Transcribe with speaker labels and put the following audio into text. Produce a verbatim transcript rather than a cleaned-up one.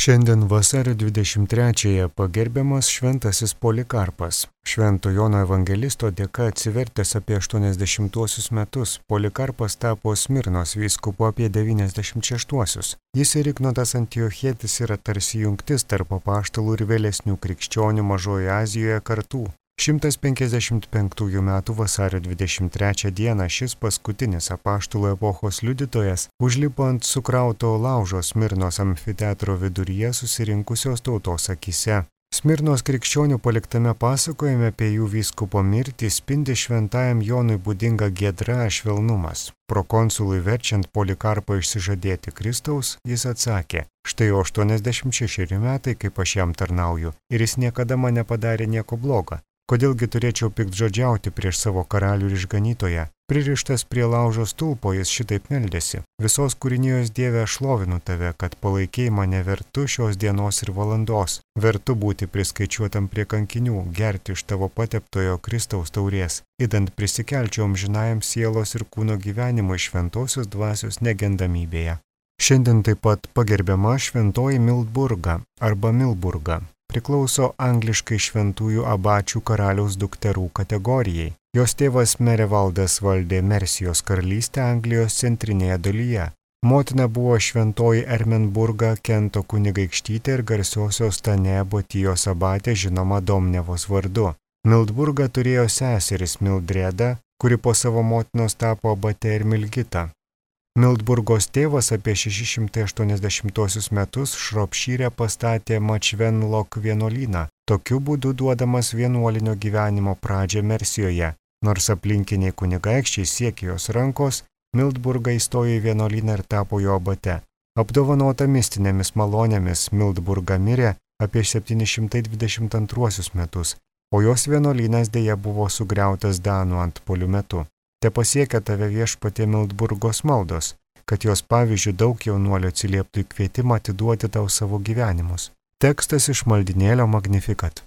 Speaker 1: Šiandien vasario dvidešimt trečiąją pagerbiamas šventasis Polikarpas. Švento Jono evangelisto dėka atsivertęs apie aštuoniasdešimtuosius metus, Polikarpas tapo Smirnos vyskupu apie devyniasdešimt šeštuosius. Jis ir Ignotas Antiochietis yra tarsi jungtis tarp apaštalų ir vėlesnių krikščionių Mažojoje Azijoje kartų. šimtas penkiasdešimt penktųjų metų vasario dvidešimt trečią dieną šis paskutinis apaštalų epochos liudytojas užlipo ant sukrauto laužo Smirnos amfiteatro viduryje susirinkusios tautos akyse. Smirnos krikščionių paliktame pasakojime apie jų vyskupo mirtį spindi šventajam Jonui būdinga giedra švelnumas. Prokonsului verčiant Polikarpą išsižadėti Kristaus, jis atsakė: štai jau aštuoniasdešimt šešeri metai, kaip aš jam tarnauju, ir jis niekada man nepadarė nieko bloga. Kodėlgi turėčiau piktžodžiauti prieš savo karalių ir išganytoją? Pririštas prie laužo stulpo jis šitaip meldėsi: visos kūrinijos Dieve, aš šlovinu tave, kad palaikei mane vertu šios dienos ir valandos, vertu būti priskaičiuotam prie kankinių, gerti iš tavo pateptojo Kristaus taurės, idant prisikelčiau amžinajam sielos ir kūno gyvenimui šventosios dvasios negendamybėje. Šiandien taip pat pagerbiama šventoji Mildburga arba Milburga. Priklauso angliškai šventųjų abačių karaliaus dukterų kategorijai. Jos tėvas Merevaldas valdė Mersijos karalystę Anglijos centrinėje dalyje. Motina buvo šventoji Ermenburga Kento kunigaikštytė ir garsiosios Tanebotijos abatė žinoma Domnevos vardu. Mildburga turėjo seseris Mildredą, kuri po savo motinos tapo abate ir Milgita. Mildburgos tėvas apie šeši šimtai aštuoniasdešimtuosius metus Šropšyre pastatė Mačvenlok vienuolyną, tokiu būdu duodamas vienuolinio gyvenimo pradžią Mersijoje. Nors aplinkiniai kunigaikščiai siekė jos rankos, Mildburga įstojo į vienuolyną ir tapo jo abate. Apdovanota mistinėmis malonėmis, Mildburga mirė apie septyni šimtai dvidešimt antruosius metus, o jos vienuolynas dėja buvo sugriautas danų antpuolių metu. Te pasiekia tave viešpatie Mildburgos maldos, kad jos pavyzdžių daug jaunuolių atsilieptų į kvietimą atiduoti tau savo gyvenimus. Tekstas iš maldynėlio Magnificat.